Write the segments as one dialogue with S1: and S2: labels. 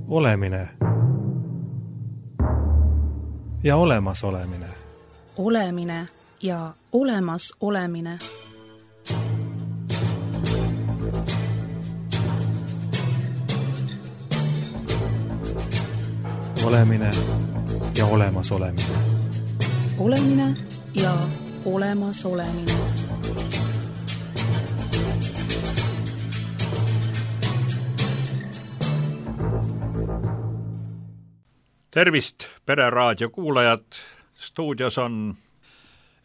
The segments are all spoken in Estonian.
S1: Olemine ja olemasolemine.
S2: Olemine ja olemas olemine.
S1: Olemine ja olemas olemine.
S2: Olemine ja olemas olemine.
S3: Tervist, Pereraadio kuulajad! Stuudios on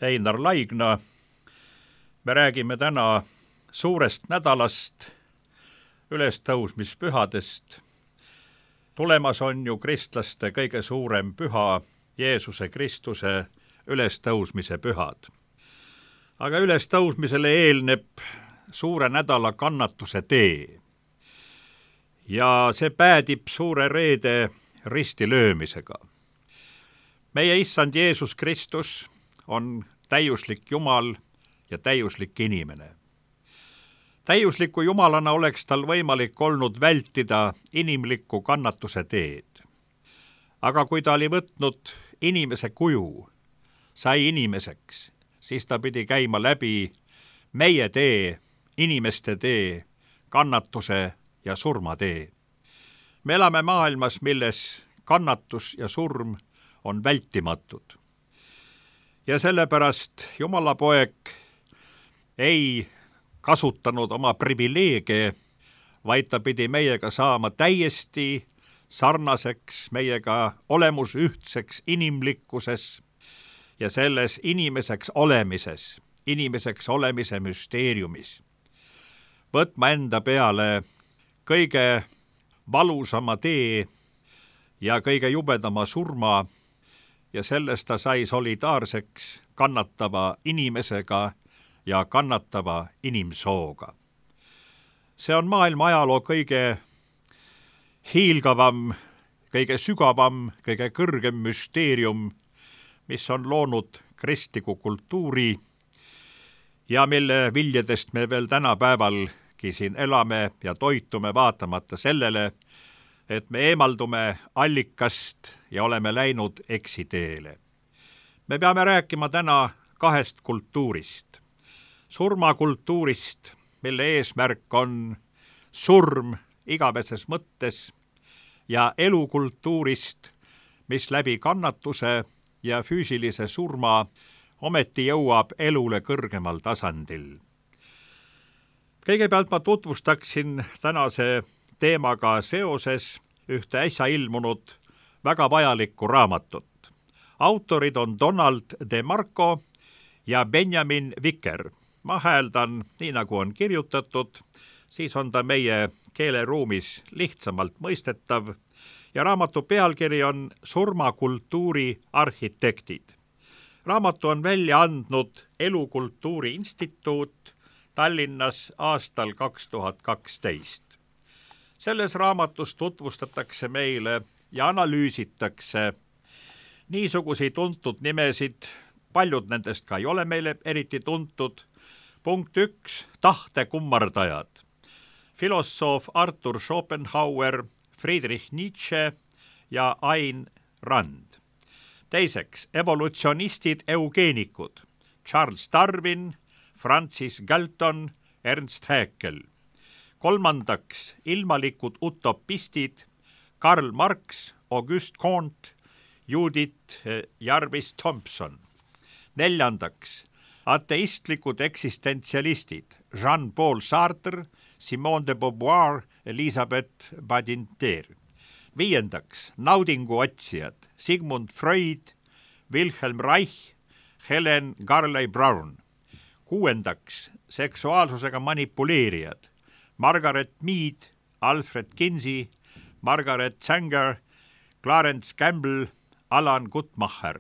S3: Einar Laigna. Me räägime täna suurest nädalast, ülestõusmispühadest. Tulemas on ju kristlaste kõige suurem püha, Jeesuse Kristuse ülestõusmise pühad. Aga ülestõusmisele eelneb suure nädala kannatuse tee. Ja see päädib suure reede ristilöömisega. Meie issand Jeesus Kristus on täiuslik Jumal ja täiuslik inimene. Täiusliku Jumalana oleks tal võimalik olnud vältida inimliku kannatuse teed. Aga kui ta oli võtnud inimese kuju, sai inimeseks, siis ta pidi käima läbi meie tee, inimeste tee, kannatuse ja surma tee. Me elame maailmas, milles kannatus ja surm on vältimatud. Ja sellepärast Jumala poeg ei kasutanud oma privileege, vaid ta pidi meiega saama täiesti sarnaseks, meiega olemusühtseks inimlikkuses ja selles inimeseks olemise müsteeriumis. Võtma enda peale kõige valusama tee ja kõige jubedama surma ja sellest ta sai solidaarseks kannatava inimesega ja kannatava inimsooga. See on maailma ajaloo kõige hiilgavam, kõige sügavam, kõige kõrgem müsteerium, mis on loonud kristliku kultuuri ja mille viljedest me veel tänapäevalgi siin elame ja toitume vaatamata sellele, et me eemaldume allikast ja oleme läinud eksiteele. Me peame rääkima täna kahest kultuurist. Surmakultuurist, mille eesmärk on surm igaveses mõttes, ja elukultuurist, mis läbi kannatuse ja füüsilise surma ometi jõuab elule kõrgemal tasandil. Kõigepealt ma tutvustaksin tänase teemaga seoses ühte äsja ilmunud väga vajalikku raamatut. Autorid on Donald DeMarco ja Benjamin Wicker. Ma hääldan nii, nagu on kirjutatud, siis on ta meie keeleruumis lihtsamalt mõistetav ja raamatu pealkiri on Surmakultuuri arhitektid. Raamatu on välja andnud Elukultuuri Instituut Tallinnas aastal 2012. Selles raamatus tutvustatakse meile ja analüüsitakse niisuguseid tuntud nimesid, paljud nendest ka ei ole meile eriti tuntud. Punkt 1, tahtekummardajad. Filosoof Arthur Schopenhauer, Friedrich Nietzsche ja Ayn Rand. Teiseks, evolutsionistid eugeenikud. Charles Darwin, Francis Galton, Ernst Haeckel. Kolmandaks, ilmalikud utopistid. Karl Marx, Auguste Comte, Judith Jarvis Thompson. Neljandaks, ateistlikud eksistentsialistid. Jean-Paul Sartre, Simone de Beauvoir, Elisabeth Badinter. Viiendaks, naudinguotsijad. Sigmund Freud, Wilhelm Reich, Helen Garley Brown. Kuuendaks, seksuaalsusega manipuleerijad. Margaret Mead, Alfred Kinsey, Margaret Sanger, Clarence Campbell, Alan Guttmacher.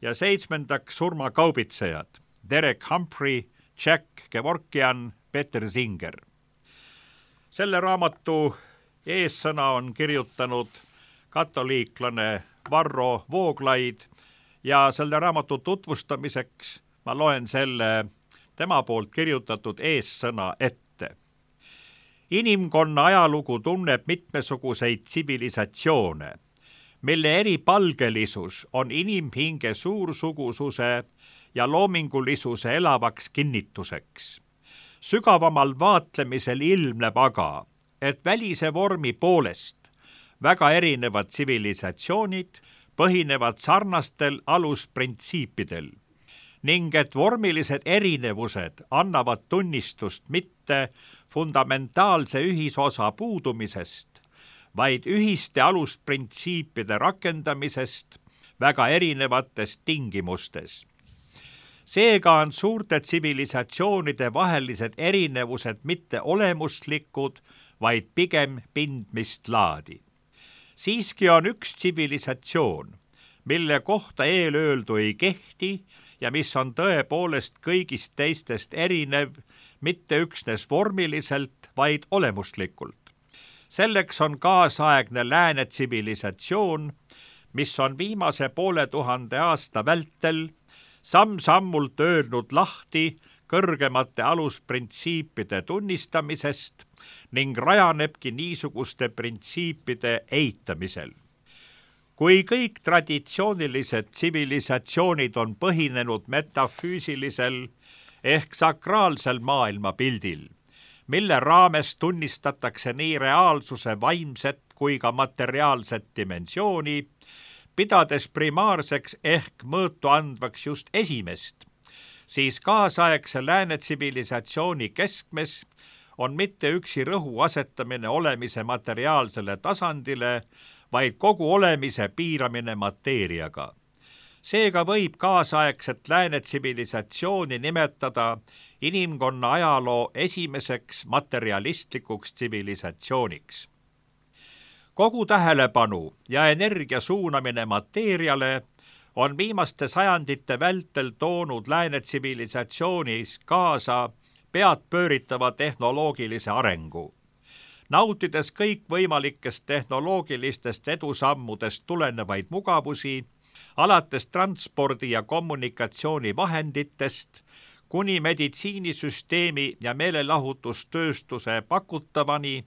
S3: Ja seitsmendaks, surmakaubitsejad. Derek Humphrey, Jack Kevorkian, Peter Singer. Selle raamatu eessõna on kirjutanud katoliiklane Varro Vooglaid ja selle raamatu tutvustamiseks ma loen selle tema poolt kirjutatud eessõna ette. Inimkonna ajalugu tunneb mitmesuguseid tsivilisatsioone, mille eripalgelisus on inimhinge suursugususe ja loomingulisuse elavaks kinnituseks. Sügavamal vaatlemisel ilmneb aga, et välise vormi poolest väga erinevad tsivilisatsioonid põhinevad sarnastel alusprintsiipidel ning et vormilised erinevused annavad tunnistust mitte fundamentaalse ühisosa puudumisest, vaid ühiste alusprintsiipide rakendamisest väga erinevates tingimustes. Seega on suurte tsivilisatsioonide vahelised erinevused mitte olemuslikud, vaid pigem pindmist laadi. Siiski on üks tsivilisatsioon, mille kohta eelöeldu ei kehti ja mis on tõepoolest kõigist teistest erinev, mitte üksnes vormiliselt, vaid olemuslikult. Selleks on kaasaegne lääne tsivilisatsioon, mis on viimase 500 aasta vältel samm-sammult öelnud lahti kõrgemate alusprintsiipide tunnistamisest ning rajanebki niisuguste printsiipide eitamisel. Kui kõik traditsioonilised tsivilisatsioonid on põhinenud metafüüsilisel ehk sakraalsel maailmapildil, mille raames tunnistatakse nii reaalsuse vaimset kui ka materiaalset dimensiooni, pidades primaarseks ehk mõõtu andvaks just esimest, siis kaasaegse lääne tsivilisatsiooni keskmes on mitte üksi rõhu asetamine olemise materiaalsele tasandile, vaid kogu olemise piiramine mateeriaga. Seega võib kaasaegset lääne tsivilisatsiooni nimetada inimkonna ajaloo esimeseks materialistlikuks tsivilisatsiooniks. Kogu tähelepanu ja energia suunamine mateeriale on viimaste sajandite vältel toonud lääne tsivilisatsioonis kaasa peadpööritava tehnoloogilise arengu. Nautides kõikvõimalikest tehnoloogilistest edusammudest tulenevaid mugavusi, alates transpordi- ja kommunikatsioonivahenditest kuni meditsiinisüsteemi ja meelelahutustööstuse pakutavani,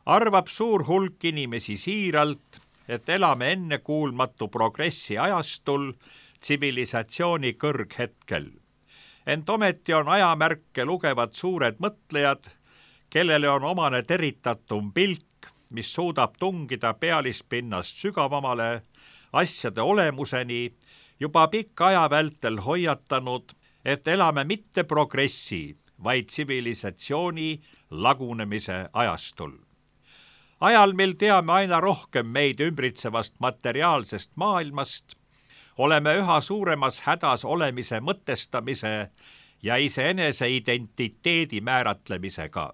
S3: arvab suur hulk inimesi siiralt, et elame ennekuulmatu progressi ajastul tsivilisatsiooni kõrghetkel. Ent ometi on ajamärke lugevad suured mõtlejad, kellele on omane teritatum pilk, mis suudab tungida pealispinnast sügavamale asjade olemuseni, juba pikka aja vältel hoiatanud, et elame mitte progressi, vaid tsivilisatsiooni lagunemise ajastul. Ajal, mil teame aina rohkem meid ümbritsevast materiaalsest maailmast, oleme üha suuremas hädas olemise mõtestamise ja iseenese identiteedi määratlemisega.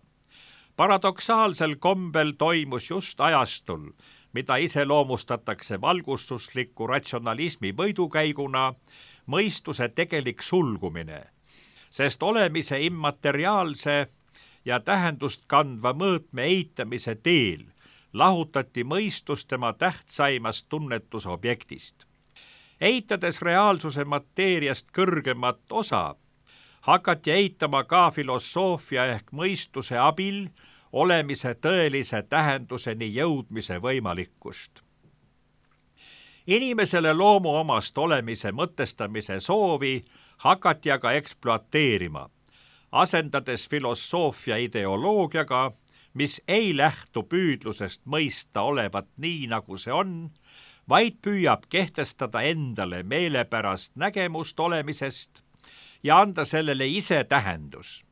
S3: Paradoksaalsel kombel toimus just ajastul, mida iseloomustatakse valgustusliku ratsionalismi võidukäiguna, mõistuse tegelik sulgumine, sest olemise immateriaalse ja tähendust kandva mõõtme eitamise teel lahutati mõistus tema tähtsaimast tunnetusobjektist. Eitades reaalsuse mateeriast kõrgemat osa, hakati eitama ka filosoofia ehk mõistuse abil olemise tõelise tähenduseni jõudmise võimalikkust. Inimesele loomuomast olemise mõtestamise soovi hakati aga ekspluateerima, asendades filosoofia ideoloogiaga, mis ei lähtu püüdlusest mõista olevat nii, nagu see on, vaid püüab kehtestada endale meelepärast nägemust olemisest ja anda sellele ise tähendus.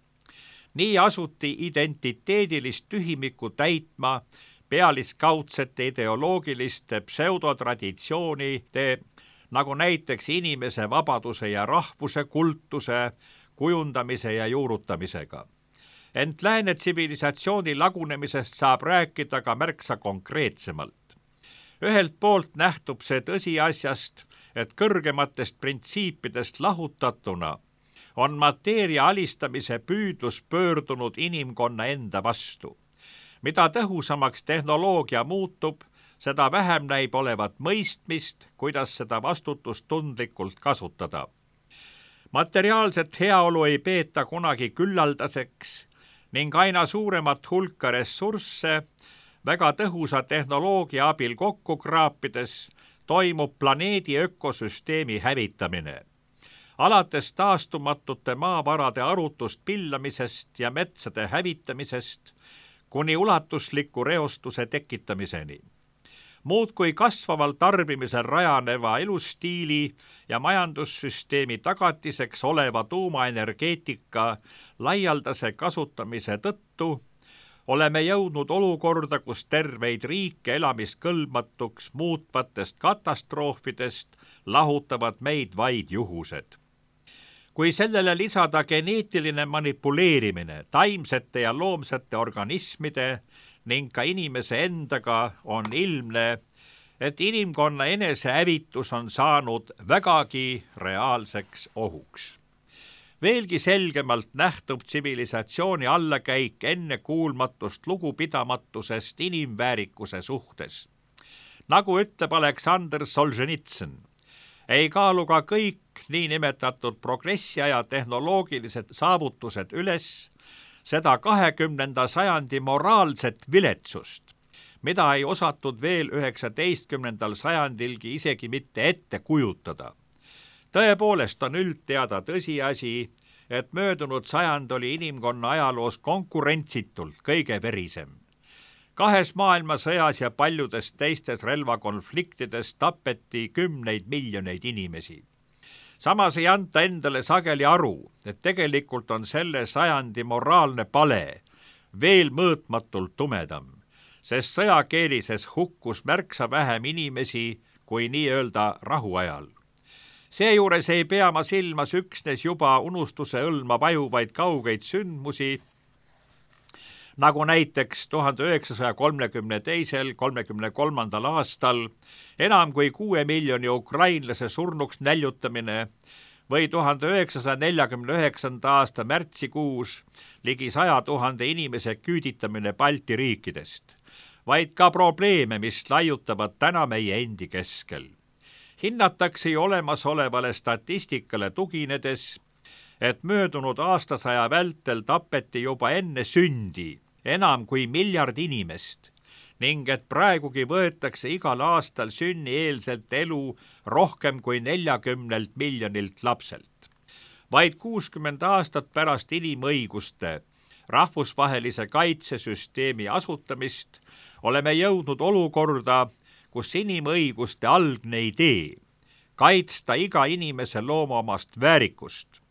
S3: Nii asuti identiteedilist tühimikku täitma pealiskaudsete ideoloogiliste pseudotraditsioonide, nagu näiteks inimese vabaduse ja rahvuse kultuse kujundamise ja juurutamisega. Ent lääne tsivilisatsiooni lagunemisest saab rääkida ka märksa konkreetsemalt. Ühelt poolt nähtub see tõsiasjast, et kõrgematest printsiipidest lahutatuna on mateeria alistamise püüdlus pöördunud inimkonna enda vastu. Mida tõhusamaks tehnoloogia muutub, seda vähem näib olevat mõistmist, kuidas seda vastutustundlikult kasutada. Materiaalset heaolu ei peeta kunagi küllaldaseks ning aina suuremat hulka ressursse väga tõhusa tehnoloogia abil kokku kraapides toimub planeedi ökosüsteemi hävitamine. Alates taastumatute maavarade arutust pillamisest ja metsade hävitamisest kuni ulatusliku reostuse tekitamiseni. Muudkui kasvaval tarbimisel rajaneva elustiili ja majandussüsteemi tagatiseks oleva tuumaenergeetika laialdase kasutamise tõttu oleme jõudnud olukorda, kus terveid riike elamiskõlbmatuks muutvatest katastroofidest lahutavad meid vaid juhused. Kui sellele lisada geneetiline manipuleerimine taimsete ja loomsete organismide ning ka inimese endaga, on ilmne, et inimkonna enesehävitus on saanud vägagi reaalseks ohuks. Veelgi selgemalt nähtub tsivilisatsiooni allakäik ennekuulmatust lugupidamatusest inimväärikuse suhtes. Nagu ütleb Aleksandr Solženitsõn, ei kaalu ka kõik niinimetatud progressiaja tehnoloogilised saavutused üles seda 20. sajandi moraalset viletsust, mida ei osatud veel 19. sajandilgi isegi mitte ette kujutada. Tõepoolest on üldteada tõsiasi, et möödunud sajand oli inimkonna ajaloos konkurentsitult kõige verisem. 2 maailmasõjas ja paljudes teistes relvakonfliktides tapeti 10 miljoneid inimesi. Samas ei anta endale sageli aru, et tegelikult on selle sajandi moraalne pale veel mõõtmatult tumedam, sest sõjakeelises hukkus märksa vähem inimesi kui nii-öelda rahuajal. Seejuures ei pea ma silmas üksnes juba unustuse õlma vajuvaid kaugeid sündmusi, nagu näiteks 1932–33 aastal enam kui 6 miljoni ukrainlase surnuks näljutamine või 1949. aasta märtsikuus ligi 100 000 inimese küüditamine Balti riikidest, vaid ka probleeme, mis laiutavad täna meie endi keskel. Hinnatakse ju olemasolevale statistikale tuginedes, et möödunud aastasaja vältel tapeti juba enne sündi enam kui 1 miljard inimest ning et praegugi võetakse igal aastal sünnieelselt elu rohkem kui 40 miljonilt lapselt. Vaid 60 aastat pärast inimõiguste rahvusvahelise kaitsesüsteemi asutamist oleme jõudnud olukorda, kus inimõiguste algne idee kaitsta iga inimese loomaomast väärikust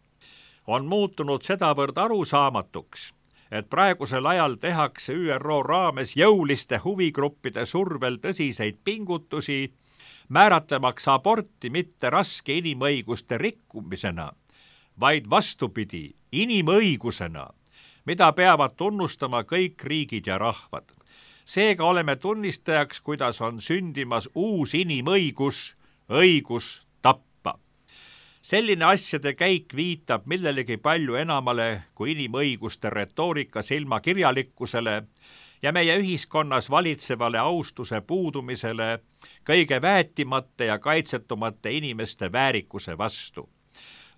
S3: on muutunud sedavõrd arusaamatuks, et praegusel ajal tehakse ÜRO raames jõuliste huvigruppide survel tõsiseid pingutusi, määratlemaks aborti mitte raske inimõiguste rikkumisena, vaid vastupidi, inimõigusena, mida peavad tunnustama kõik riigid ja rahvad. Seega oleme tunnistajaks, kuidas on sündimas uus inimõigus, õigus tappa. Selline asjade käik viitab millelegi palju enamale kui inimõiguste retoorika silmakirjalikkusele ja meie ühiskonnas valitsevale austuse puudumisele kõige väetimate ja kaitsetumate inimeste väärikuse vastu.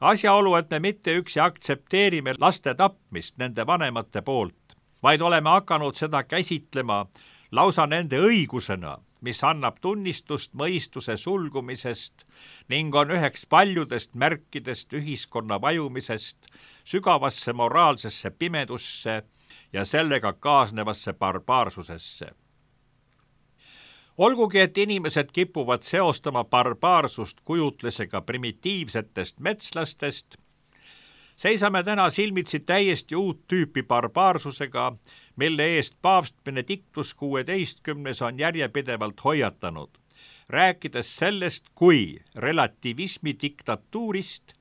S3: Asjaolu, et me mitte üksi aktsepteerime laste tapmist nende vanemate poolt, vaid oleme hakanud seda käsitlema lausa nende õigusena, mis annab tunnistust mõistuse sulgumisest ning on üheks paljudest märkidest ühiskonna vajumisest sügavasse moraalsesse pimedusse ja sellega kaasnevasse barbaarsusesse. Olgugi, et inimesed kipuvad seostama barbaarsust kujutlusega primitiivsetest metslastest, seisame täna silmitsi täiesti uut tüüpi barbaarsusega, mille eest paavst Benedictus XVI on järjepidevalt hoiatanud, rääkides sellest kui relativismi diktatuurist,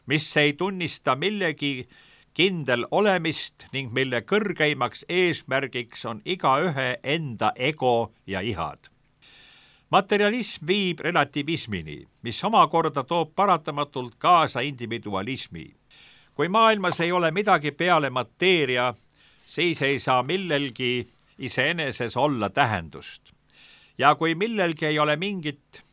S3: mis ei tunnista millegi kindel olemist ning mille kõrgeimaks eesmärgiks on igaühe enda ego ja ihad. Materialism viib relativismini, mis omakorda toob paratamatult kaasa individualismi. Kui maailmas ei ole midagi peale mateeria, siis ei saa millelgi iseeneses olla tähendust. Ja kui millelgi ei ole mingit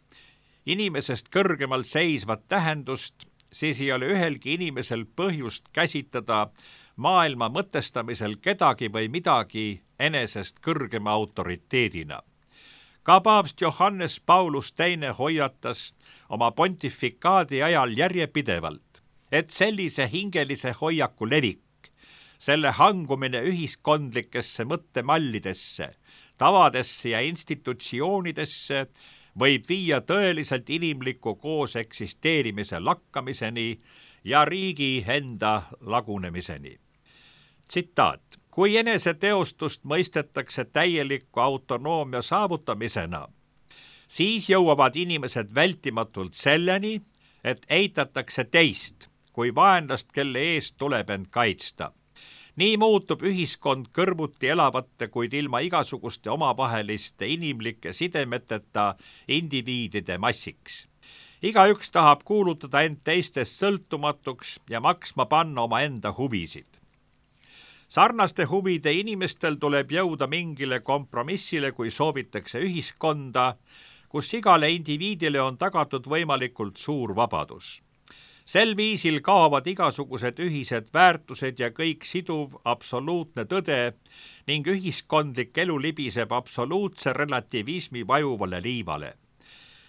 S3: inimesest kõrgemal seisvat tähendust, siis ei ole ühelgi inimesel põhjust käsitada maailma mõtestamisel kedagi või midagi enesest kõrgema autoriteedina. Ka paavst Johannes Paulus II hoiatas oma pontifikaadi ajal järjepidevalt, et sellise hingelise hoiaku levik, selle hangumine ühiskondlikesse mõttemallidesse, tavadesse ja institutsioonidesse võib viia tõeliselt inimliku koos eksisteerimise lakkamiseni ja riigi enda lagunemiseni. Tsitaat: kui eneseteostust mõistetakse täieliku autonoomia saavutamisena, siis jõuavad inimesed vältimatult selleni, et eitatakse teist kui vaenlast, kelle eest tuleb end kaitsta. Nii muutub ühiskond kõrvuti elavate, kuid ilma igasuguste omavaheliste inimlike sidemeteta indiviidide massiks. Igaüks tahab kuulutada end teistest sõltumatuks ja maksma panna omaenda huvisid. Sarnaste huvide inimestel tuleb jõuda mingile kompromissile, kui soovitakse ühiskonda, kus igale indiviidile on tagatud võimalikult suur vabadus. Sel viisil kaovad igasugused ühised väärtused ja kõik siduv absoluutne tõde ning ühiskondlik elu libiseb absoluutse relativismi vajuvale liivale.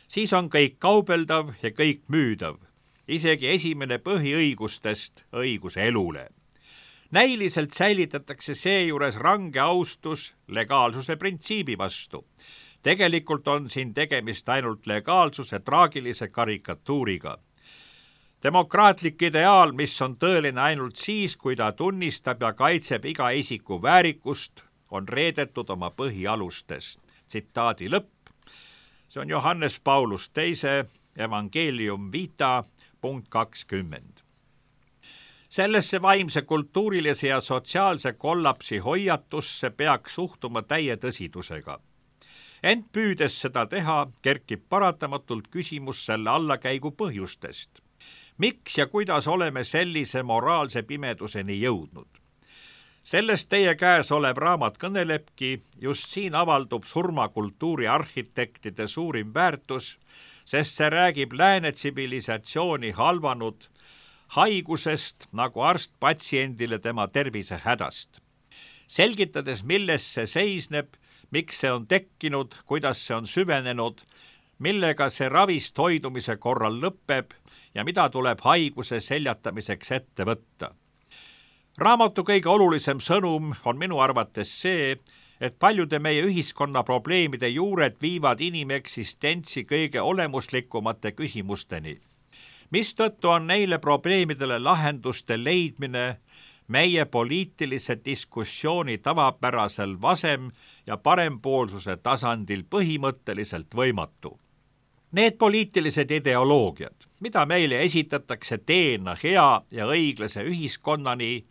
S3: Siis on kõik kaubeldav ja kõik müüdav, isegi esimene põhiõigustest õigus elule. Näiliselt säilitatakse seejuures range austus legaalsuse printsiibi vastu. Tegelikult on siin tegemist ainult legaalsuse traagilise karikatuuriga. Demokraatlik ideaal, mis on tõeline ainult siis, kui ta tunnistab ja kaitseb iga isiku väärikust, on reedetud oma põhialustest. Tsitaadi lõpp. See on Johannes Paulus II, Evangelium Vita, punkt 20. Sellesse vaimse, kultuurilise ja sotsiaalse kollapsi hoiatusse peaks suhtuma täie tõsidusega. Ent püüdes seda teha, kerkib paratamatult küsimus selle allakäigu põhjustest. Miks ja kuidas oleme sellise moraalse pimeduseni jõudnud? Sellest teie käes olev raamat kõnelebki, just siin avaldub surmakultuuri arhitektide suurim väärtus, sest see räägib lääne tsivilisatsiooni halvanud haigusest nagu arst patsiendile tema tervise hädast. Selgitades, milles see seisneb, miks see on tekkinud, kuidas see on süvenenud, millega see ravist hoidumise korral lõpeb ja mida tuleb haiguse seljatamiseks ette võtta. Raamatu kõige olulisem sõnum on minu arvates see, et paljude meie ühiskonna probleemide juured viivad inimeksistentsi kõige olemuslikumate küsimusteni, mistõttu on neile probleemidele lahenduste leidmine meie poliitilise diskussiooni tavapärasel vasem- ja parempoolsuse tasandil põhimõtteliselt võimatu. Need poliitilised ideoloogiad, mida meile esitatakse teena hea ja õiglase ühiskonnani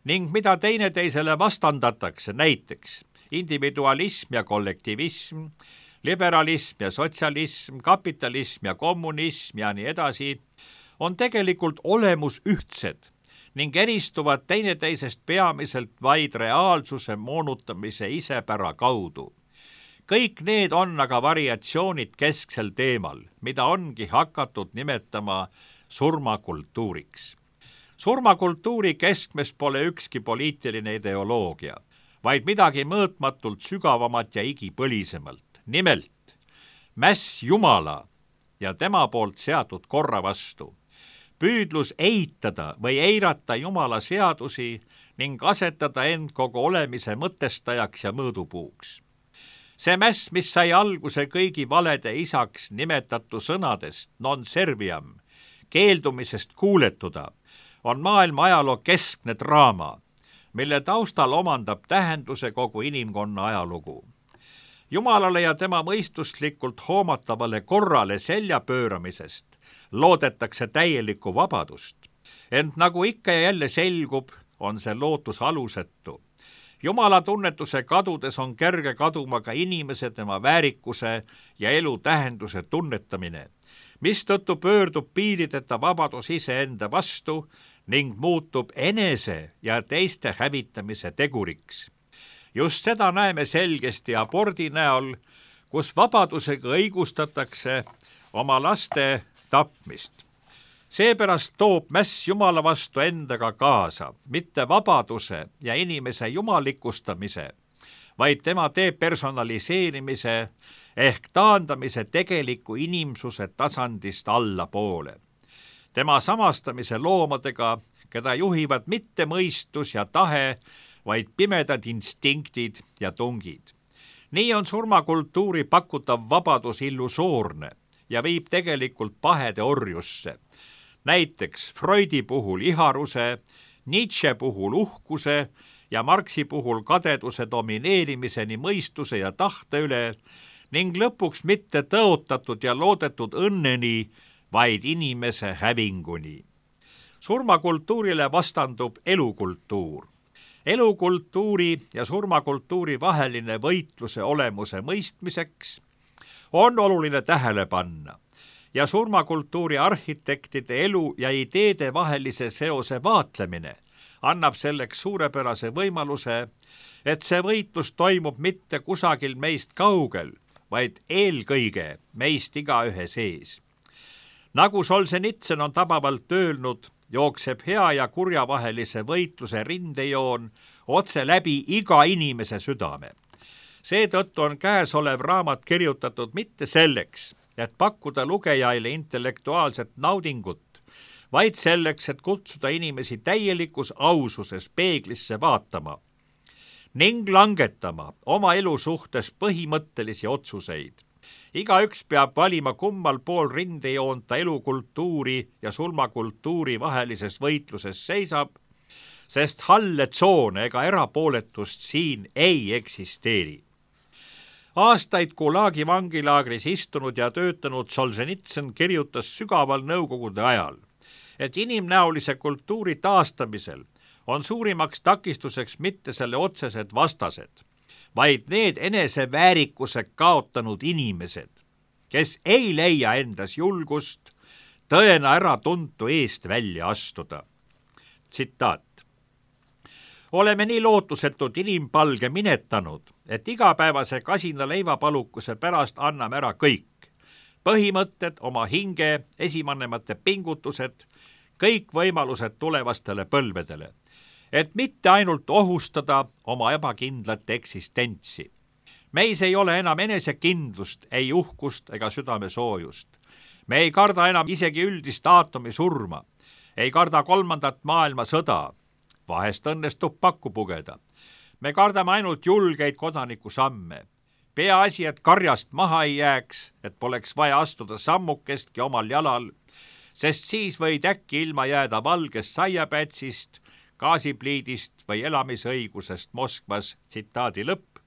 S3: ning mida teineteisele vastandatakse, näiteks individualism ja kollektivism, liberalism ja sotsialism, kapitalism ja kommunism ja nii edasi, on tegelikult olemus ühtsed ning eristuvad teineteisest peamiselt vaid reaalsuse moonutamise isepära kaudu. Kõik need on aga variatsioonid kesksel teemal, mida ongi hakatud nimetama surmakultuuriks. Surmakultuuri keskmes pole ükski poliitiline ideoloogia, vaid midagi mõõtmatult sügavamat ja igipõlisemalt. Nimelt, mäss Jumala ja tema poolt seatud korra vastu. Püüdlus eitada või eirata Jumala seadusi ning asetada end kogu olemise mõtestajaks ja mõõdupuuks. See mäss, mis sai alguse kõigi valede isaks nimetatu sõnadest non serviam, keeldumisest kuuletuda, on maailma ajaloo keskne draama, mille taustal omandab tähenduse kogu inimkonna ajalugu. Jumalale ja tema mõistuslikult hoomatavale korrale selja pööramisest loodetakse täielikku vabadust, ent nagu ikka ja jälle selgub, on see lootus alusetu. Jumala tunnetuse kadudes on kerge kaduma ka inimese, tema väärikuse ja elu tähenduse tunnetamine, mistõttu pöördub piirideta vabadus iseenda vastu ning muutub enese ja teiste hävitamise teguriks. Just seda näeme selgesti abordi näol, kus vabadusega õigustatakse oma laste tapmist. Seepärast toob mäss Jumala vastu endaga kaasa mitte vabaduse ja inimese jumalikustamise, vaid tema depersonaliseerimise ehk taandamise tegeliku inimsuse tasandist allapoole. Tema samastamise loomadega, keda juhivad mitte mõistus ja tahe, vaid pimedad instinktid ja tungid. Nii on surmakultuuri pakutav vabadus illusoorne ja viib tegelikult pahede orjusse. Näiteks Freudi puhul iharuse, Nietzsche puhul uhkuse ja Marxi puhul kadeduse domineerimiseni mõistuse ja tahte üle ning lõpuks mitte tõotatud ja loodetud õnneni, vaid inimese hävinguni. Surmakultuurile vastandub elukultuur. Elukultuuri ja surmakultuuri vaheline võitluse olemuse mõistmiseks on oluline tähele panna ja surmakultuuri arhitektide elu ja ideede vahelise seose vaatlemine annab selleks suurepärase võimaluse, et see võitlus toimub mitte kusagil meist kaugel, vaid eelkõige meist igaühe sees. Nagu Solženitsõn on tabavalt öelnud, jookseb hea ja kurja vahelise võitluse rindejoon otse läbi iga inimese südame. Seetõttu on käesolev raamat kirjutatud mitte selleks, et pakkuda lugejaile intellektuaalset naudingut, vaid selleks, et kutsuda inimesi täielikus aususes peeglisse vaatama ning langetama oma elu suhtes põhimõttelisi otsuseid. Igaüks peab valima, kummal pool rindejoont ta elukultuuri ja surmakultuuri vahelises võitluses seisab, sest halle tsoone ega erapooletust siin ei eksisteeri. Aastaid Gulagi vangilaagris istunud ja töötanud Solženitsõn kirjutas sügaval nõukogude ajal, et inimnäolise kultuuri taastamisel on suurimaks takistuseks mitte selle otsesed vastased, vaid need eneseväärikuse kaotanud inimesed, kes ei leia endas julgust tõena äratuntu eest välja astuda. Tsitaat. Oleme nii lootusetult inimpalge minetanud, et igapäevase kasina leivapalukuse pärast anname ära kõik. Põhimõtted, oma hinge, esivanemate pingutused, kõik võimalused tulevastele põlvedele, et mitte ainult ohustada oma ebakindlat eksistentsi. Meis ei ole enam enesekindlust, ei uhkust ega südamesoojust. Me ei karda enam isegi üldist aatomi surma, ei karda 3. maailmasõda, vahest õnnestub pakku pugeda. Me kardame ainult julgeid kodanikusamme. Peaasi, et karjast maha ei jääks, et poleks vaja astuda sammukestki omal jalal, sest siis võid äkki ilma jääda valgest saiapätsist, gaasipliidist või elamisõigusest Moskvas, tsitaadi lõpp,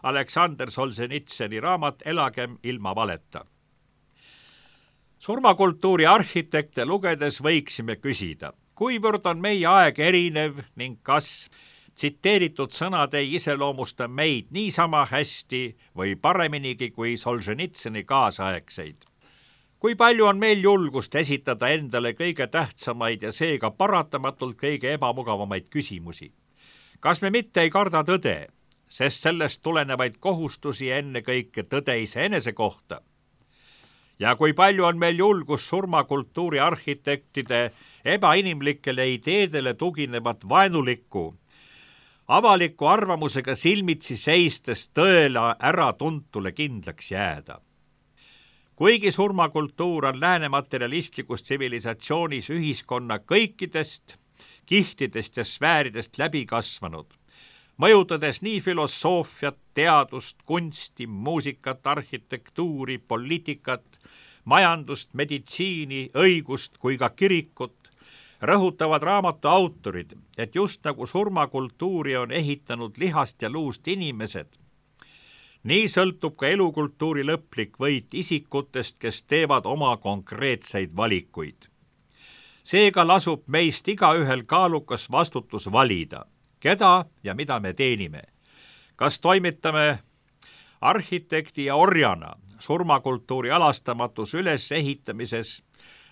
S3: Aleksander Solženitsõni raamat Elagem ilma valeta. Surmakultuuri arhitekte lugedes võiksime küsida, kuivõrd on meie aeg erinev ning kas tsiteeritud sõnad ei iseloomusta meid niisama hästi või pareminigi kui Solženitsõni kaasaegseid. Kui palju on meil julgust esitada endale kõige tähtsamaid ja seega paratamatult kõige ebamugavamaid küsimusi? Kas me mitte ei karda tõde, sest sellest tulenevaid kohustusi ennekõike tõde iseenese kohta? Ja kui palju on meil julgust surmakultuuri arhitektide ebainimlikele ideedele tuginevat vaenulikku, avaliku arvamusega silmitsi seistes tõele äratuntule kindlaks jääda? Kuigi surmakultuur on lääne materialistlikus tsivilisatsioonis ühiskonna kõikidest kihtidest ja sfääridest läbi kasvanud, mõjutades nii filosoofiat, teadust, kunsti, muusikat, arhitektuuri, poliitikat, majandust, meditsiini, õigust kui ka kirikut, rõhutavad raamatu autorid, et just nagu surmakultuuri on ehitanud lihast ja luust inimesed, nii sõltub ka elukultuuri lõplik võit isikutest, kes teevad oma konkreetseid valikuid. Seega lasub meist igaühel kaalukas vastutus valida, keda ja mida me teenime. Kas toimitame arhitekti ja orjana surmakultuuri alastamatus ülesehitamises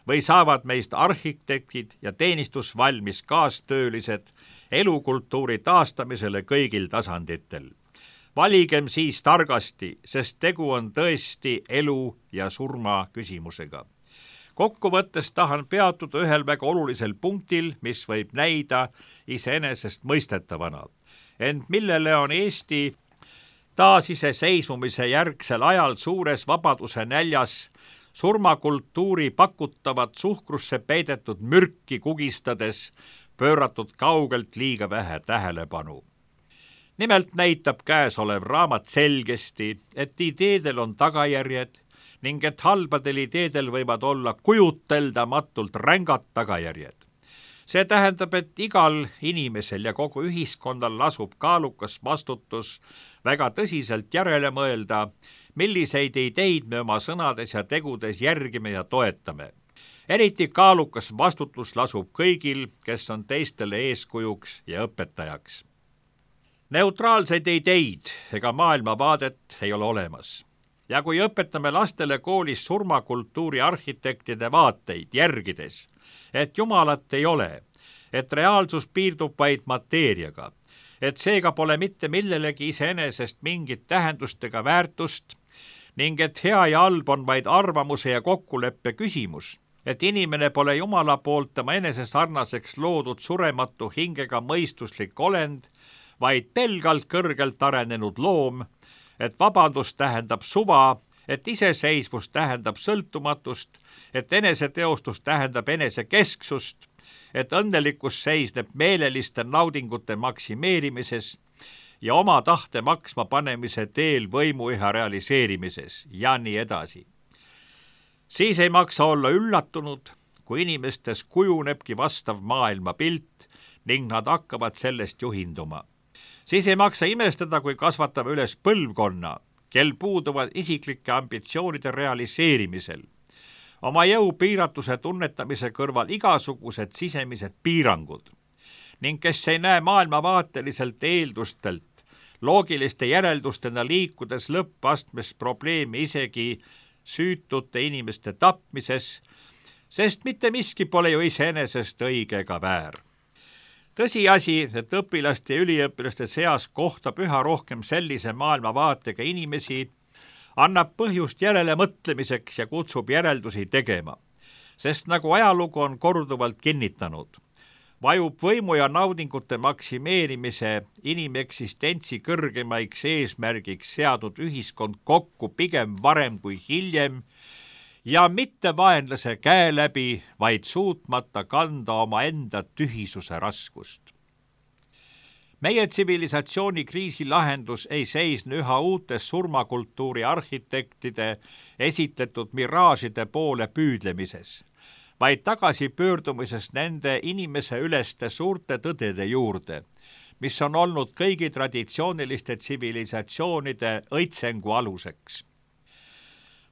S3: või saavad meist arhitektid ja teenistusvalmis kaastöölised elukultuuri taastamisele kõigil tasanditel. Valigem siis targasti, sest tegu on tõesti elu ja surma küsimusega. Kokkuvõttes tahan peatuda ühel väga olulisel punktil, mis võib näida iseenesest mõistetavana, ent millele on Eesti taasiseseisvumise järgsel ajal suures vabaduse näljas surmakultuuri pakutavat suhkrusse peidetud mürki kugistades pööratud kaugelt liiga vähe tähelepanu. Nimelt näitab käesolev raamat selgesti, et ideedel on tagajärjed ning et halbadel ideedel võivad olla kujuteldamatult rängad tagajärjed. See tähendab, et igal inimesel ja kogu ühiskonnal lasub kaalukas vastutus väga tõsiselt järele mõelda, milliseid ideid me oma sõnades ja tegudes järgime ja toetame. Eriti kaalukas vastutus lasub kõigil, kes on teistele eeskujuks ja õpetajaks. Neutraalseid ideid ega maailmavaadet ei ole olemas. Ja kui õpetame lastele koolis surmakultuuri arhitektide vaateid järgides, et Jumalat ei ole, et reaalsus piirdub vaid mateeriaga, et seega pole mitte millelegi iseenesest mingit tähendust ega väärtust ning et hea ja halb on vaid arvamuse ja kokkuleppe küsimus, et inimene pole Jumala poolt tema enese sarnaseks loodud surematu hingega mõistuslik olend, vaid pelgalt kõrgelt arenenud loom, et vabadus tähendab suva, et iseseisvus tähendab sõltumatust, et eneseteostus tähendab enesekesksust, et õnnelikkus seisneb meeleliste naudingute maksimeerimises ja oma tahte maksma panemise teel võimuiha realiseerimises ja nii edasi. Siis ei maksa olla üllatunud, kui inimestes kujunebki vastav maailmapilt ning nad hakkavad sellest juhinduma. Siis ei maksa imestada, kui kasvatame üles põlvkonna, kel puuduvad isiklike ambitsioonide realiseerimisel. Oma jõu piiratuse tunnetamise kõrval igasugused sisemised piirangud ning kes ei näe maailmavaateliselt eeldustelt loogiliste järeldustena liikudes lõppastmes probleemi isegi süütute inimeste tapmises, sest mitte miski pole ju iseenesest õige ega väär. Tõsiasi, et õpilaste ja üliõpilaste seas kohtab üha rohkem sellise maailmavaatega inimesi, annab põhjust järele mõtlemiseks ja kutsub järeldusi tegema, sest nagu ajalugu on korduvalt kinnitanud, vajub võimu ja naudingute maksimeerimise inimeksistentsi kõrgemaiks eesmärgiks seadnud ühiskond kokku pigem varem kui hiljem ja mitte vaenlase käe läbi, vaid suutmata kanda oma enda tühisuse raskust. Meie tsivilisatsiooni kriisi lahendus ei seisne üha uutes surmakultuuri arhitektide esitletud miraažide poole püüdlemises, vaid tagasipöördumises nende inimese üleste suurte tõdede juurde, mis on olnud kõigi traditsiooniliste tsivilisatsioonide õitsengu aluseks.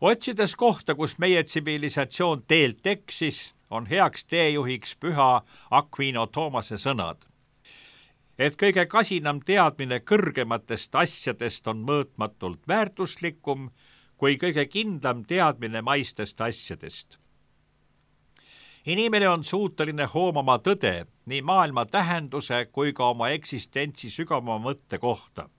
S3: Otsides kohta, kus meie tsivilisatsioon teelt eksis, on heaks teejuhiks püha Aquino Thomase sõnad, et kõige kasinam teadmine kõrgematest asjadest on mõõtmatult väärtuslikum kui kõige kindlam teadmine maistest asjadest. Inimene on suuteline hoomama tõde nii maailma tähenduse kui ka oma eksistentsi sügavama mõtte kohta.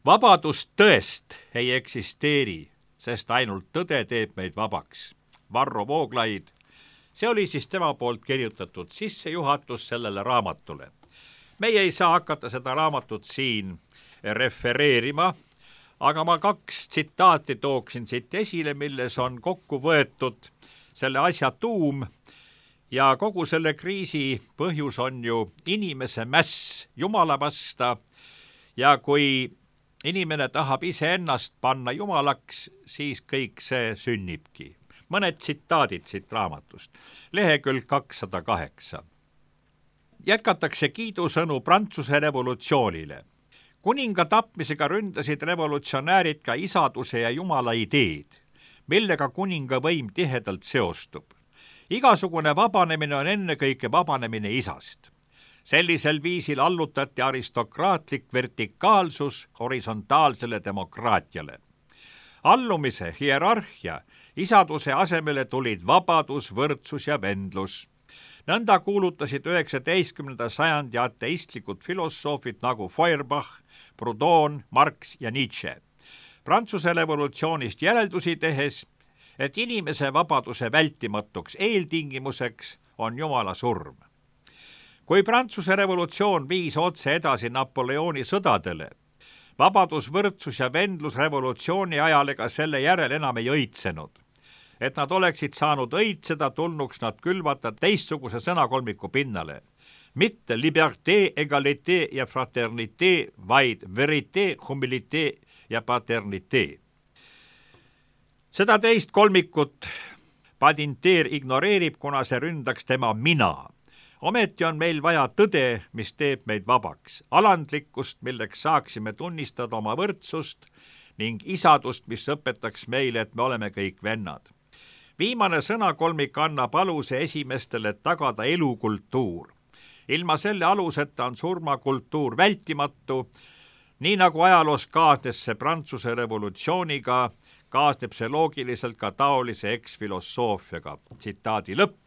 S3: Vabadust tõest ei eksisteeri, sest ainult tõde teeb meid vabaks. Varro Vooglaid, see oli siis tema poolt kirjutatud sissejuhatus sellele raamatule. Meie ei saa hakata seda raamatut siin refereerima, aga ma 2 tsitaati tooksin siit esile, milles on kokku võetud selle asja tuum ja kogu selle kriisi põhjus on ju inimese mäss Jumala vasta ja kui inimene tahab iseennast panna jumalaks, siis kõik see sünnibki. Mõned tsitaadid siit raamatust. Lehekülg 208. Jätkatakse kiidusõnu Prantsuse revolutsioonile. Kuninga tapmisega ründasid revolutsionäärid ka isaduse ja Jumala ideed, millega kuninga võim tihedalt seostub. Igasugune vabanemine on ennekõike vabanemine isast. Sellisel viisil allutati aristokraatlik vertikaalsus horisontaalsele demokraatiale. Allumise, hierarhia, isaduse asemele tulid vabadus, võrdsus ja vendlus. Nõnda kuulutasid 19. sajandi ateistlikud filosoofid nagu Feuerbach, Proudhon, Marx ja Nietzsche. Prantsuse revolutsioonist järeldusi tehes et inimese vabaduse vältimatuks eeltingimuseks on Jumala surm. Kui Prantsuse revolutsioon viis otse edasi Napoleoni sõdadele, vabadus, võrdsus ja vendlus revolutsiooni ajal ega selle järel enam ei õitsenud. Et nad oleksid saanud õitseda, tulnuks nad külvata teistsuguse sõnakolmiku pinnale. Mitte liberté, égalité ja fraternité, vaid vérité, humilité ja paternité. Seda teist kolmikut Badinter ignoreerib, kuna see ründaks tema mina. Ometi on meil vaja tõde, mis teeb meid vabaks, alandlikkust, milleks saaksime tunnistada oma võrdsust ning isadust, mis õpetaks meile, et me oleme kõik vennad. Viimane sõnakolmik annab aluse esimestele tagada elukultuur. Ilma selle aluseta on surmakultuur vältimatu, nii nagu ajaloos kaasnes see Prantsuse revolutsiooniga, kaasneb see loogiliselt ka taolise eksfilosoofiaga. Tsitaadi lõpp.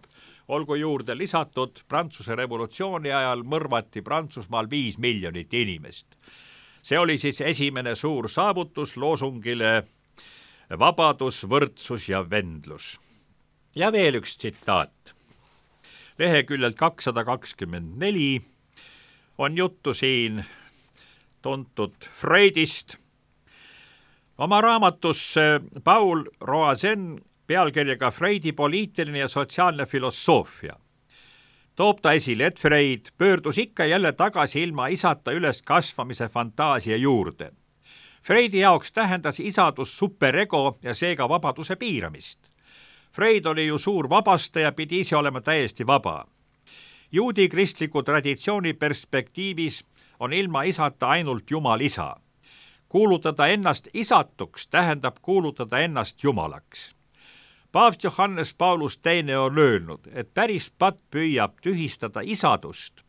S3: Olgu juurde lisatud, Prantsuse revolutsiooni ajal mõrvati Prantsusmaal 5 miljonit inimest. See oli siis esimene suur saavutus loosungile vabadus, võrdsus ja vendlus. Ja veel üks tsitaat. Leheküljelt 224 on juttu siin tuntud Freudist. Oma raamatus Paul Roazen pealkirjaga Freudi poliitiline ja sotsiaalne filosoofia toob ta esile, et Freud pöördus ikka jälle tagasi ilma isata üles kasvamise fantaasia juurde. Freudi jaoks tähendas isadus superego ja seega vabaduse piiramist. Freud oli ju suur vabastaja, pidi ise olema täiesti vaba. Juudi kristliku traditsiooni perspektiivis on ilma isata ainult Jumal isa. Kuulutada ennast isatuks tähendab kuulutada ennast Jumalaks. Paavst Johannes Paulus II on öelnud, et päris patt püüab tühistada isadust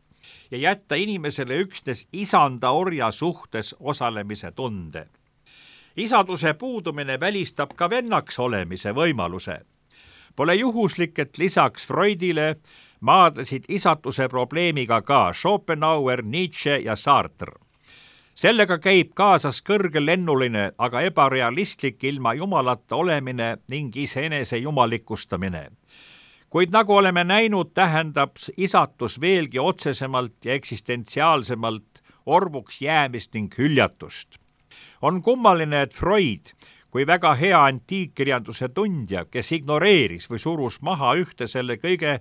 S3: ja jätta inimesele üksnes isanda orja suhtes osalemise tunde. Isaduse puudumine välistab ka vennaks olemise võimaluse. Pole juhuslik, et lisaks Freudile maadlesid isatuse probleemiga ka Schopenhauer, Nietzsche ja Sartre. Sellega käib kaasas kõrgelennuline, aga ebarealistlik ilma jumalata olemine ning iseenese jumalikustamine. Kuid nagu oleme näinud, tähendab isatus veelgi otsesemalt ja eksistentsiaalsemalt orvuks jäämist ning hüljatust. On kummaline, et Freud, kui väga hea antiikkirjanduse tundja, kes ignoreeris või surus maha ühte selle kõige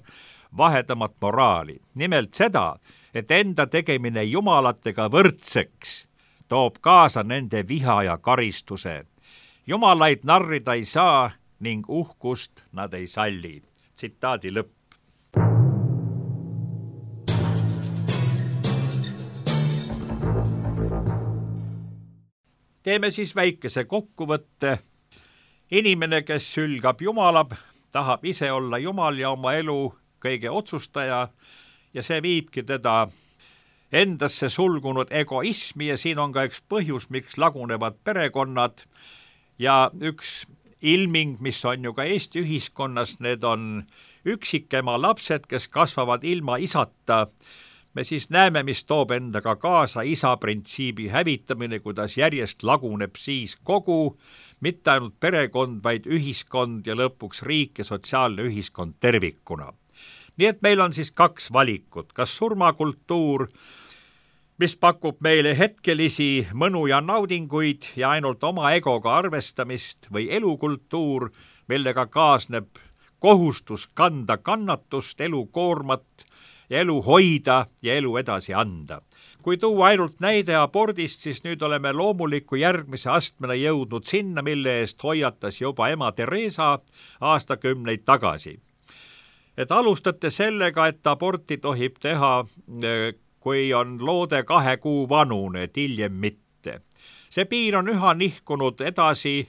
S3: vahedamat moraali, nimelt seda, et enda tegemine jumalatega võrdseks toob kaasa nende viha ja karistuse. Jumalaid narrida ei saa ning uhkust nad ei salli. Tsitaadi lõpp. Teeme siis väikese kokkuvõtte. Inimene, kes sülgab Jumalab, tahab ise olla Jumal ja oma elu kõige otsustaja ja see viibki teda endasse sulgunud egoismi ja siin on ka üks põhjus, miks lagunevad perekonnad ja üks ilming, mis on ju ka Eesti ühiskonnas, need on üksikema lapsed, kes kasvavad ilma isata. Me siis näeme, mis toob endaga kaasa isa printsiibi hävitamine, kuidas järjest laguneb siis kogu, mitte ainult perekond, vaid ühiskond ja lõpuks riik ja sotsiaalne ühiskond tervikuna. Nii et meil on siis 2 valikut, kas surmakultuur, mis pakub meile hetkelisi mõnu ja naudinguid ja ainult oma egoga arvestamist või elukultuur, millega kaasneb kohustus kanda kannatust, elukoormat ja elu hoida ja elu edasi anda. Kui tuua ainult näide abordist, siis nüüd oleme loomuliku järgmise astmena jõudnud sinna, mille eest hoiatas juba ema Teresa aastakümneid tagasi. Et alustate sellega, et aborti tohib teha, kui on loode 2 kuu vanune, et hiljem mitte. See piir on üha nihkunud edasi,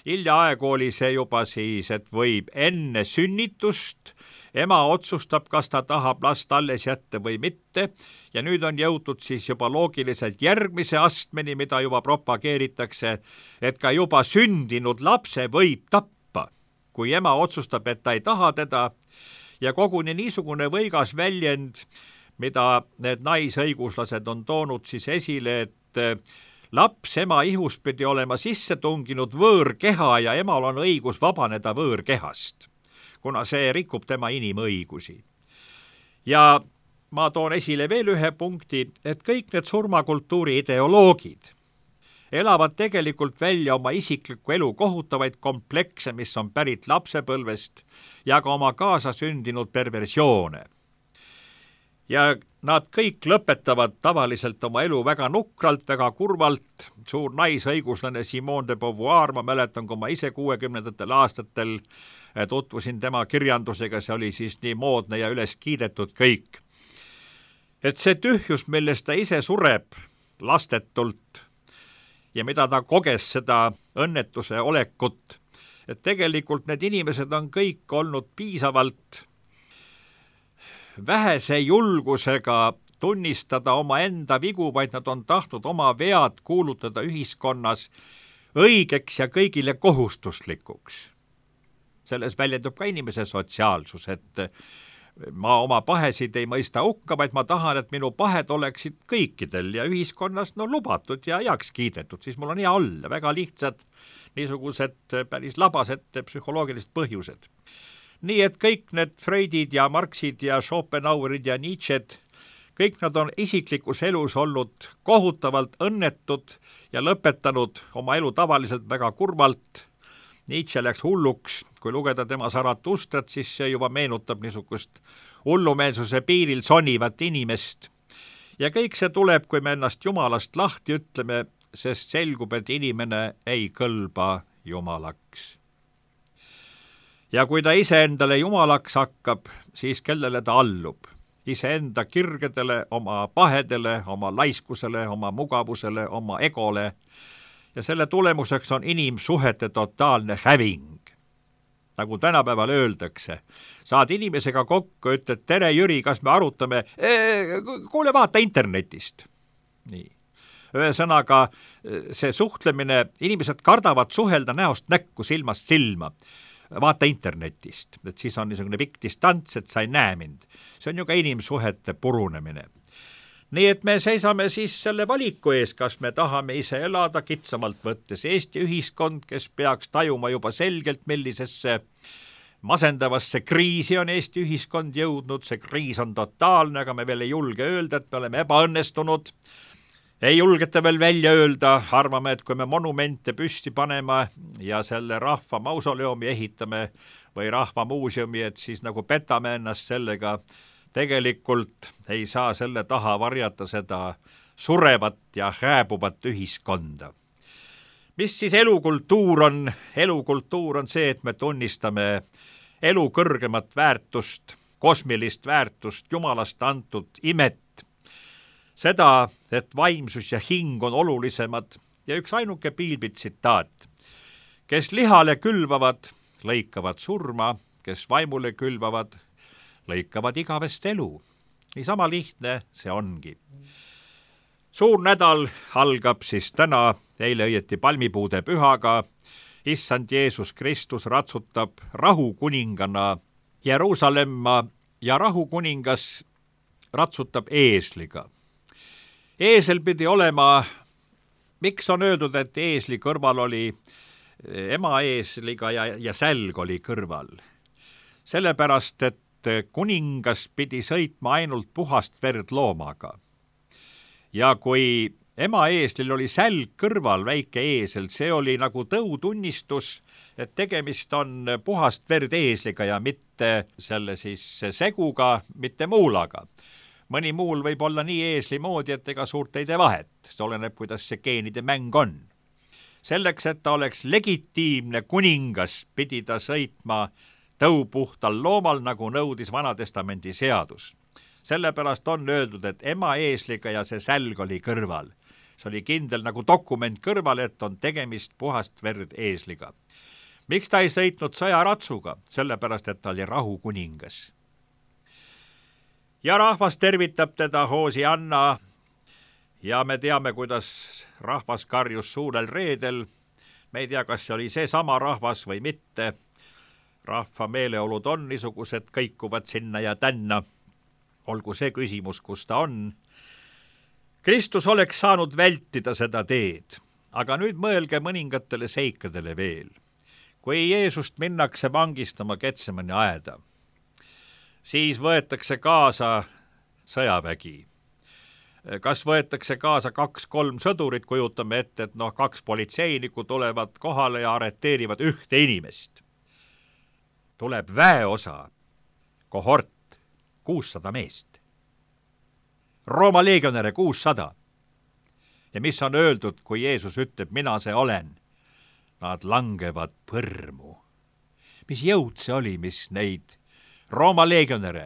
S3: hiljaaegu oli see juba siis, et võib enne sünnitust, ema otsustab, kas ta tahab last alles jätta või mitte ja nüüd on jõutud siis juba loogiliselt järgmise astmeni, mida juba propageeritakse, et ka juba sündinud lapse võib tappa, kui ema otsustab, et ta ei taha teda. Ja koguni niisugune võigas väljend, mida need naisõiguslased on toonud siis esile, et laps ema ihus pidi olema sisse tunginud võõrkeha ja emal on õigus vabaneda võõrkehast, kuna see rikub tema inimõigusi. Ja ma toon esile veel ühe punkti, et kõik need surmakultuuri ideoloogid elavad tegelikult välja oma isikliku elu kohutavaid komplekse, mis on pärit lapsepõlvest ja ka oma kaasasündinud perversioone. Ja nad kõik lõpetavad tavaliselt oma elu väga nukralt, väga kurvalt. Suur naisõiguslane Simone de Beauvoir, ma mäletan, kui ma ise 60. aastatel tutvusin tema kirjandusega, see oli siis nii moodne ja üles kiidetud kõik. Et see tühjus, milles ta ise sureb lastetult ja mida ta koges seda õnnetuse olekut, et tegelikult need inimesed on kõik olnud piisavalt vähese julgusega tunnistada oma enda vigu, vaid nad on tahtnud oma vead kuulutada ühiskonnas õigeks ja kõigile kohustuslikuks. Selles väljendub ka inimese sotsiaalsus, et ma oma pahesid ei mõista hukka, vaid ma tahan, et minu pahed oleksid kõikidel ja ühiskonnas lubatud ja heaks kiidetud, siis mul on hea olla. Väga lihtsad niisugused päris labased psühholoogilised põhjused. Nii et kõik need Freudid ja Marxid ja Schopenhauerid ja Nietzsched, kõik nad on isiklikus elus olnud kohutavalt õnnetud ja lõpetanud oma elu tavaliselt väga kurvalt. Nietzsche läks hulluks, kui lugeda tema Zaratustrat, siis see juba meenutab niisugust hullumeelsuse piiril sonivat inimest. Ja kõik see tuleb, kui me ennast Jumalast lahti ütleme, sest selgub, et inimene ei kõlba Jumalaks. Ja kui ta iseendale Jumalaks hakkab, siis kellele ta allub? Iseenda kirgedele, oma pahedele, oma laiskusele, oma mugavusele, oma egole. Ja selle tulemuseks on inimsuhete totaalne häving. Nagu tänapäeval öeldakse, saad inimesega kokku, ütled, tere Jüri, kas me arutame, kuule vaata internetist. Nii. Ühesõnaga, see suhtlemine, inimesed kardavad suhelda näost näkku, silmast silma. Vaata internetist, et siis on niisugune pikk distants, et sa ei näe mind. See on ju ka inimsuhete purunemine. Nii et me seisame siis selle valiku ees, kas me tahame ise elada kitsamalt võttes Eesti ühiskond, kes peaks tajuma juba selgelt, millisesse masendavasse kriisi on Eesti ühiskond jõudnud. See kriis on totaalne, aga me veel ei julge öelda, et me oleme ebaõnnestunud. Ei julgeta veel välja öelda, arvame, et kui me monumente püsti paneme ja selle rahva mausoleumi ehitame või rahva muuseumi, et siis nagu petame ennast sellega. Tegelikult ei saa selle taha varjata seda surevat ja hääbuvat ühiskonda. Mis siis elukultuur on? Elukultuur on see, et me tunnistame elu kõrgemat väärtust, kosmilist väärtust, Jumalast antud imet. Seda, et vaimsus ja hing on olulisemad ja üks ainuke Piilbi tsitaat. Kes lihale külvavad, lõikavad surma, kes vaimule külvavad, lõikavad igavest elu. Nii sama lihtne see ongi. Suur nädal algab siis täna, eile õieti palmipuude pühaga. Issand Jeesus Kristus ratsutab rahukuningana Jeruusalemma ja rahukuningas ratsutab eesliga. Eesel pidi olema, miks on öeldud, et eesli kõrval oli ema eesliga ja sälg oli kõrval? Sellepärast, et kuningas pidi sõitma ainult puhast verd loomaga. Ja kui ema eeslil oli sälg kõrval, väike eesel, see oli nagu tõutunnistus, et tegemist on puhast verd eesliga ja mitte selle siis seguga, mitte muulaga. Mõni muul võib olla nii eesli moodi, et ega suurt ei tee vahet. See oleneb, kuidas see geenide mäng on. Selleks, et ta oleks legitiimne kuningas, pidi ta sõitma tõupuhtal loomal, nagu nõudis Vanatestamendi seadus. Sellepärast on öeldud, et ema eesliga ja see sälg oli kõrval. See oli kindel nagu dokument kõrval, et on tegemist puhast verd eesliga. Miks ta ei sõitnud sõjaratsuga? Sellepärast, et ta oli rahukuningas. Ja rahvas tervitab teda Hoosianna ja me teame, kuidas rahvas karjus suurel reedel. Me ei tea, kas see oli see sama rahvas või mitte. Rahva meeleolud on niisugused, kõikuvad sinna ja tänna. Olgu see küsimus, kus ta on. Kristus oleks saanud vältida seda teed, aga nüüd mõelge mõningatele seikadele veel. Kui Jeesust minnakse vangistama Getsemani aeda, siis võetakse kaasa sõjavägi. Kas võetakse kaasa 2-3 sõdurit, kujutame ette, et 2 politseinikku tulevad kohale ja arreteerivad ühte inimest. Tuleb väeosa, kohort, 600 meest. Rooma leegionäre 600. Ja mis on öeldud, kui Jeesus ütleb, mina see olen? Nad langevad põrmu. Mis jõud see oli, mis neid Rooma leegionäre,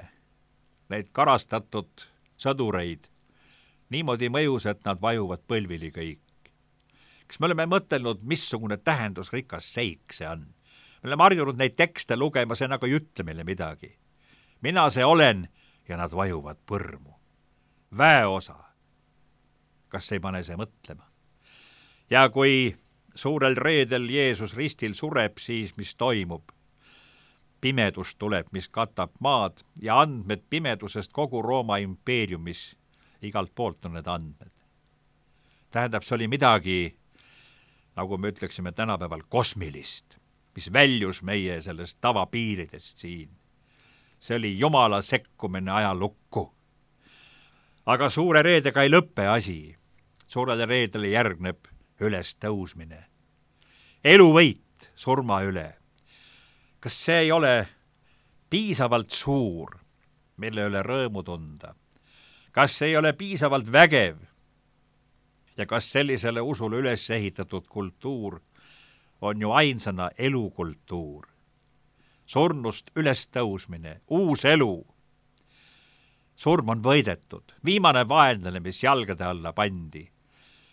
S3: neid karastatud sõdureid, niimoodi mõjus, et nad vajuvad põlvili kõik. Kas me oleme mõtelnud, missugune tähendusrikas seik see on? Me oleme harjunud neid tekste lugema, see nagu ei ütle meile midagi. Mina see olen ja nad vajuvad põrmu. Väeosa. Kas ei pane see mõtlema? Ja kui suurel reedel Jeesus ristil sureb, siis mis toimub? Pimedus tuleb, mis katab maad ja andmed pimedusest kogu Rooma impeeriumis. Igalt poolt on need andmed. Tähendab, see oli midagi, nagu me ütleksime tänapäeval, kosmilist, mis väljus meie sellest tavapiiridest siin. See oli Jumala sekkumine ajalukku. Aga suure reedega ei lõppe asi. Suurele reedele järgneb üles tõusmine. Eluvõit surma üle. Kas see ei ole piisavalt suur, mille üle rõõmu tunda? Kas see ei ole piisavalt vägev? Ja kas sellisele usule üles ehitatud kultuur on ju ainsana elukultuur? Surnust üles tõusmine, uus elu. Surm on võidetud, viimane vaenlane, mis jalgade alla pandi.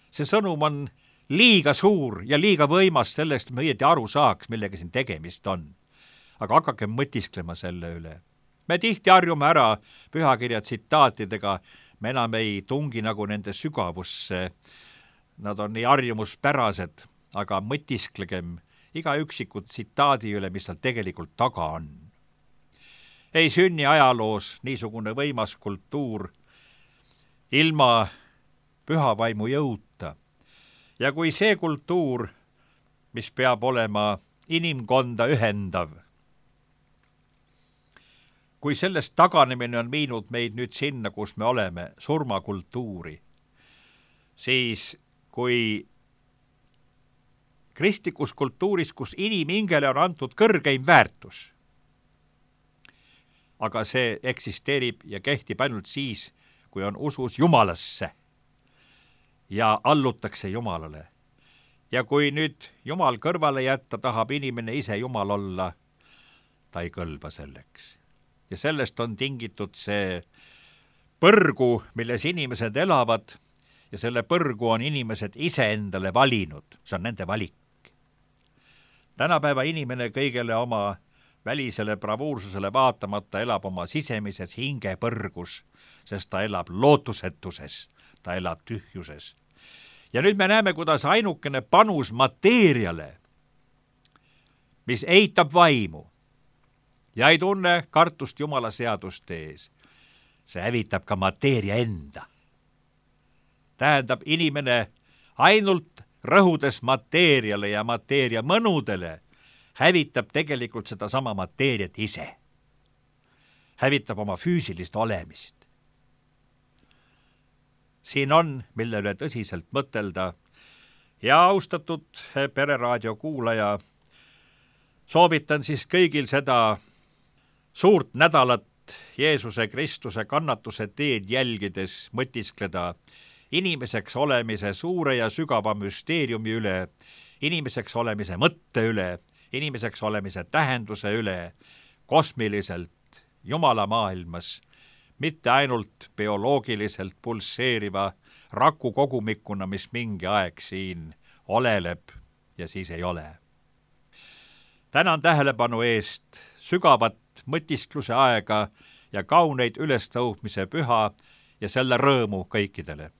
S3: See sõnum on liiga suur ja liiga võimas sellest, me õieti aru saaks, millega siin tegemist on. Aga hakake mõtisklema selle üle. Me tihti harjume ära pühakirja tsitaatidega, me enam ei tungi nagu nende sügavusse. Nad on nii harjumuspärased, aga mõtisklegem iga üksikud tsitaadi üle, mis seal tegelikult taga on. Ei sünni ajaloos niisugune võimas kultuur ilma pühavaimu jõuta. Ja kui see kultuur, mis peab olema inimkonda ühendav, kui sellest taganemine on viinud meid nüüd sinna, kus me oleme, surmakultuuri, siis kui kristlikus kultuuris, kus inimhingele on antud kõrgeim väärtus, aga see eksisteerib ja kehtib ainult siis, kui on usus Jumalasse ja allutakse Jumalale. Ja kui nüüd Jumal kõrvale jätta, tahab inimene ise Jumal olla, ta ei kõlba selleks. Ja sellest on tingitud see põrgu, milles inimesed elavad, ja selle põrgu on inimesed ise endale valinud. See on nende valik. Tänapäeva inimene kõigele oma välisele bravuursusele vaatamata elab oma sisemises hingepõrgus, sest ta elab lootusetuses, ta elab tühjuses. Ja nüüd me näeme, kuidas ainukene panus mateeriale, mis eitab vaimu ja ei tunne kartust Jumala seaduste ees, see hävitab ka mateeria enda. Tähendab, inimene ainult rõhudes mateeriale ja mateeria mõnudele hävitab tegelikult seda sama mateeriat ise. Hävitab oma füüsilist olemist. Siin on, mille üle tõsiselt mõtelda ja austatud Pereraadio kuulaja, soovitan siis kõigil seda suurt nädalat Jeesuse Kristuse kannatuse teed jälgides mõtiskleda inimeseks olemise suure ja sügava müsteeriumi üle, inimeseks olemise mõtte üle, inimeseks olemise tähenduse üle, kosmiliselt Jumala maailmas, mitte ainult bioloogiliselt pulseeriva raku kogumikuna, mis mingi aeg siin oleleb ja siis ei ole. Tänan tähelepanu eest, sügavat mõtiskluse aega ja kauneid ülestõusmise püha ja selle rõõmu kõikidele.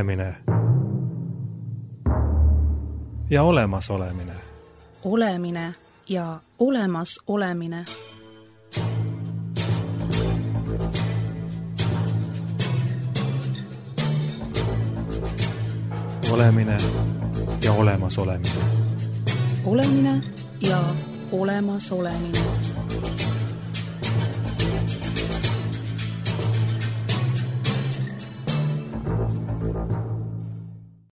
S1: olemine ja olemasolemine.
S2: Olemine ja olemasolemine.
S1: Olemine ja olemasolemine.
S2: Olemine ja olemasolemine.